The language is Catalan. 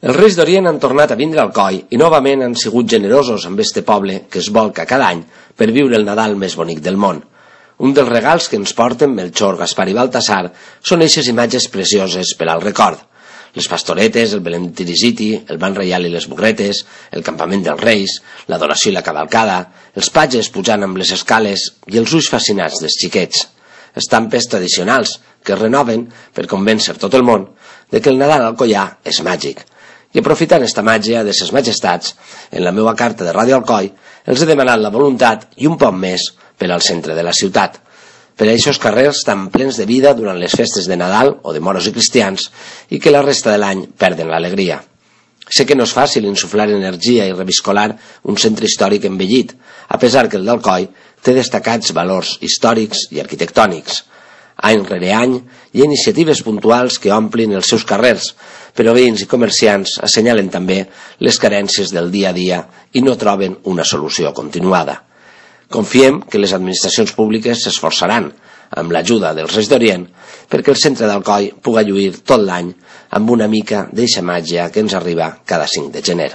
Els Reis d'Orient han tornat a vindre al coll i novament han sigut generosos amb este poble que es volca cada any per viure el Nadal més bonic del món. Un dels regals que ens porten Melchor, Gaspar i Baltasar són eixes imatges precioses per al record. Les pastoretes, el Belén Tirisiti, el ban reial i les bugretes, el campament dels Reis, l'adoració i la cavalcada, els patges pujant amb les escales i els ulls fascinats dels xiquets. Estampes tradicionals que es renoven per convèncer tot el món de que el Nadal al Alcoià és màgic. I aprofitant esta màgia de ses majestats, en la meva carta de Ràdio Alcoi els he demanat la voluntat i un poc més per al centre de la ciutat. Per a aquests carrers tan plens de vida durant les festes de Nadal o de moros i cristians i que la resta de l'any perden l'alegria. Sé que no és fàcil insuflar energia i reviscolar un centre històric envellit, a pesar que el d'Alcoi té destacats valors històrics i arquitectònics. Any rere any hi ha iniciatives puntuals que omplin els seus carrers, però veïns i comerciants assenyalen també les carències del dia a dia i no troben una solució continuada. Confiem que les administracions públiques s'esforçaran, amb l'ajuda dels Reis d'Orient, perquè el centre d'Alcoi puga lluir tot l'any amb una mica d'eixa màgia que ens arriba cada 5 de gener.